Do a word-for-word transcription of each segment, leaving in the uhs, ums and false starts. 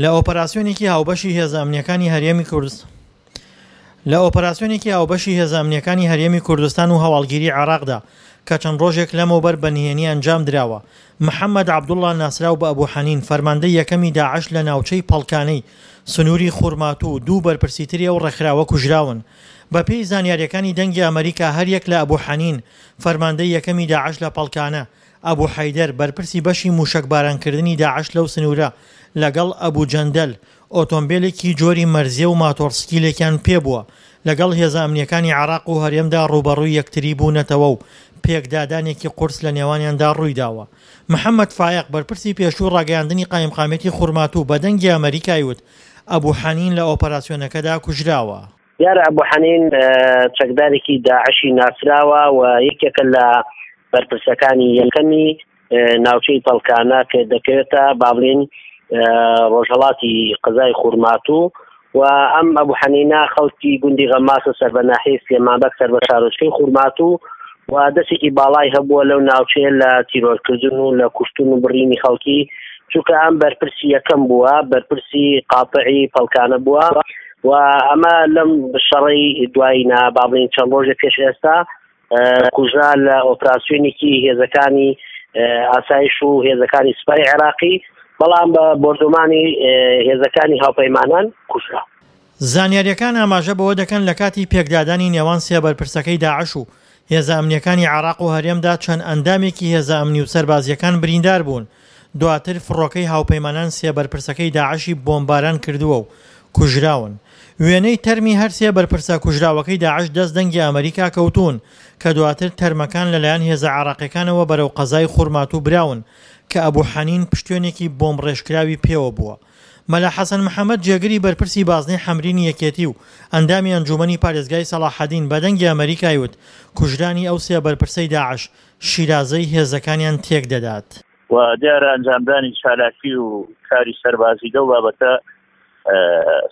لە ئۆپەراسیۆنێکی هاوبەشی هێزە ئەمنییەکانی هەرێمی کوردستان لە ئۆپەراسیۆنێکی هاوبەشی هێزە ئەمنییەکانی هەرێمی کوردستان و هەواڵگیری عێراقدا کە چەند ڕۆژێک لەمەوبەر بە نهێنی ئەنجام دراوە، محەمەد عەبدوڵڵا ناسراو بە ئەبو حەنین فەرماندەی یەکەمی داعش لە ناوچەی پەڵکانەی سنووری خورماتوو و دوو بەرپرسی تری ئەو ڕێکخراوە کوژراون. بەپێی زانیارییەکانی دەنگی ئەمەریکا هەریەک لە ئەبو حەنین فەرماندەی یەکەمی داعش لە پەڵکانە، ئەبو حەیدەر بەرپرسی بەشی مووشەکبارانکردنی داعش لەو سنوورە لەگەڵ ئەبو جەندەل ئۆتۆمبێلێکی جۆری مەرزیە و ماتۆڕسکیلێکیان پێبووە لەگەڵ هێزە ئەمنییەکانی عێراق و هەرێمدا ڕووبەڕووی یەکتری بوونەتەوە و پێکدادانێکی قورس لە نێوانیاندا ڕوویداوە. محەمەد فایەق، بەرپرسی پێشووی ڕاگەیاندنی قایمقامیەتی خورماتوو بە دەنگی ئەمەریکای وت، ئەبو حەنین لە ئۆپەراسیۆنەکەدا کوژراوە. دیارە ئەبو حەنین چەکدارێکی داعشی ناسراوە و یەکێکە لە بەرپرسەکانی یەکەمی ناوچەی پەڵکانە کە دەکەوێتە با بڵێین ڕۆژهەڵاتی قەزای خورماتوو و ئەم ئەبو حەنینە خەڵکی گوندی غەماسە سەر بە ناحیەی سلێمانبەگ سەر بە شارۆچکەی خورماتوو و دەستێکی باڵای هەبووە لەو ناوچەیە لە تیرۆرکردن و لە کوشتن و بڕینی خەڵکی، چونکە ئەم بەرپرسی یەکەم بووە، بەرپرسی قاتعی پەڵکانە بووە و ئەمە لەم شەڕەی دوایینا با بڵێین چەند ڕۆژێک پێش ئێستا کوژرا لە ئۆپراسیۆنێکی هێزەکانی ئاسایش و هێزەکانی سوپای عێراقی، بەڵام بە بۆردومانی هێزەکانی هاوپەیمانان کوژرا. زانیارییەکان ئاماژە بەوە دەکەن لە کاتی پێکدادانی نێوان سێ بەرپرسەکەی داعش و هێزە ئەمنییەکانی عێراق و هەرێمدا چەند ئەندامێکی هێزە ئەمنی و سەربازییەکان بریندار بوون، دواتر فڕۆکەی هاوپەیمانان سێ بەرپرسەکەی داعشی بۆمباران کردووە و کوژراون. وێنەی تەرمی هەر سێ بەرپرسە کوژراوەکەی داعش دەست دەنگی ئەمەریکا کەوتوون کە دواتر تەرمەکان لەلایەن هێزە عێراقیەکانەوە بەرەو قەزای خورماتوو براون کە ئەبو حەنین پشتوێنێکی بۆمبڕێژکراوی پێوە بووە. مەلا حەسەن محەمەد جێگری بەرپرسی بازنەی حەمرینی یەکێتی و ئەندامی ئەنجوومەنی پارێزگای سەڵاحەدین بە دەنگی ئەمەریکای وت کوژرانی ئەو سێ بەرپرسەی داعش شیرازەی هێزەکانیان تێکدەدات. و دیارە ئەنجامدانی چالاکی و کاری سەربازی لەو بابەتە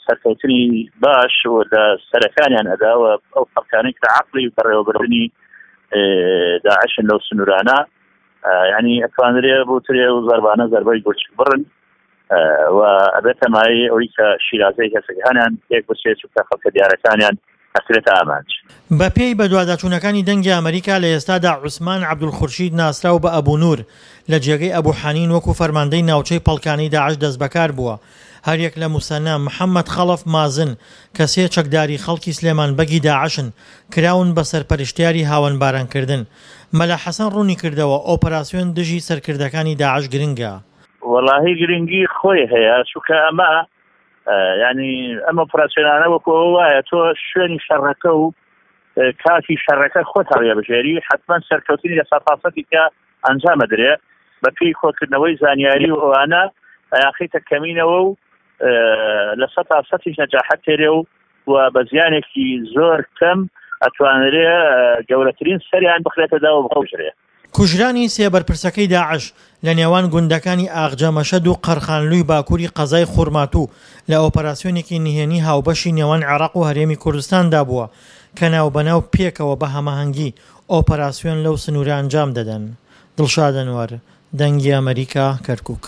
سەرکەوتنی باش و لە سەرەکانیان ئەدا و ئەو خەڵکانەی کە عەقڵی بەڕێوەبردنی داعشن لەو سنوورانە یعنی ئەتوانرێ بوترێ و زەربانە زەربەی گورچک بڕن و ئەبێتە مایەی ئەوەی کە شیرازەی هێزەکانیان تێک بچێت چونکە خەڵکە دیارەکانیان ئەکرێتە ئامانج. بەپێی بەدواداچوونەکانی دەنگی ئەمەریکا لە ئێستادا عوسمان عەبدولخورشید ناسراو بە ئەبو نور لە جێگەی ئەبو حەنین وەکو فەرماندەی ناوچەی پەڵکانەی داعش دەستبەکار بووە هەریەک لە موسەنا محەمەد خەڵەف مازن کە سێ چەکداری خەڵکی سلێمان بەگی داعشن کراون بە سەرپەرشتیاری هاوەنبارانکردن مەلا حەسەن ڕوونیکردەوە ئۆپەراسیۆن دژی سەرکردەکانی داعش گرنگە. وەڵاهی گرنگی خۆی هەیە چونکە ئەمە ینی ئەم ئۆپراسیۆنانە وەکو ئەوە وایە تۆ شوێنی شەڕەکە و کاتی شەڕەکە خۆت هەڵیەبژێری حتمما سەرکەوتنی لە سەتاسەتی کە ئەنجامە درێ بە پێی کۆکردنەوەی زانیاری و ئەوانە ئەیاخیتە کەمینەوە و لە سەتا سەتیش نەجاحەت تێرێ و و بە زیانێکی زۆر کەم ئەتوانرێ گەورەترین سەریان بخرێتە داوە بخۆشرێ. کوژرانی سێ بەرپرسەکەی داعش لە نێوان گوندەکانی ئاغجە مەشەد و قەرخانلووی باکووری قەزای خورماتوو لە ئۆپەراسیۆنێکی نهێنی هاوبەشی نێوان عێراق و هەرێمی کوردستاندا بووە کە ناوبەناو پێکەوە بە هەماهەنگی ئۆپەراسیۆن لەو سنوورە ئەنجام دەدەن. دڵشاد ئەنوەر، دەنگی ئەمەریکا، کەرکوک.